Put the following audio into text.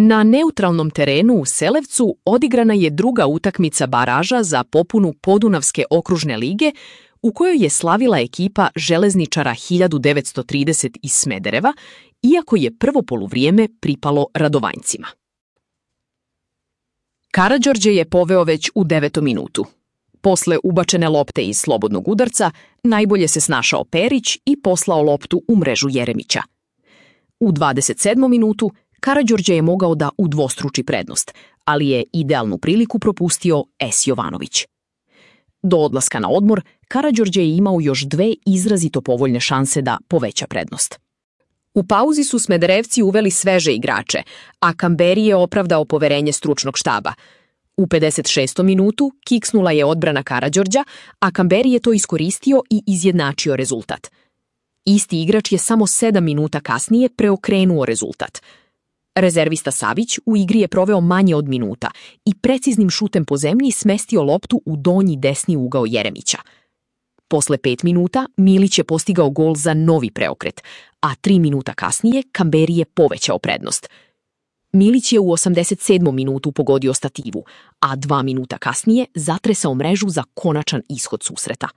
Na neutralnom terenu u Selevcu odigrana je druga utakmica baraža za popunu Podunavske okružne lige, u kojoj je slavila ekipa železničara 1930 iz Smedereva, iako je prvo poluvrijeme pripalo Radovanjcima. Karađorđe je poveo već u 9. minutu. Posle ubačene lopte iz slobodnog udarca, najbolje se snašao Perić i poslao loptu u mrežu Jeremića. U 27. minutu Karađorđe je mogao da udvostruči prednost, ali je idealnu priliku propustio S. Jovanović. Do odlaska na odmor, Karađorđe je imao još 2 izrazito povoljne šanse da poveća prednost. U pauzi su Smederevci uveli sveže igrače, a Kamberi je opravdao poverenje stručnog štaba. U 56. minutu kiksnula je odbrana Karađorđa, a Kamberi je to iskoristio i izjednačio rezultat. Isti igrač je samo 7 minuta kasnije preokrenuo rezultat. Rezervista Savić u igri je proveo manje od minuta i preciznim šutem po zemlji smestio loptu u donji desni ugao Jeremića. Posle 5 minuta Milić je postigao gol za novi preokret, a 3 minuta kasnije Kamberi je povećao prednost. Milić je u 87. minutu pogodio stativu, a 2 minuta kasnije zatresao mrežu za konačan ishod susreta.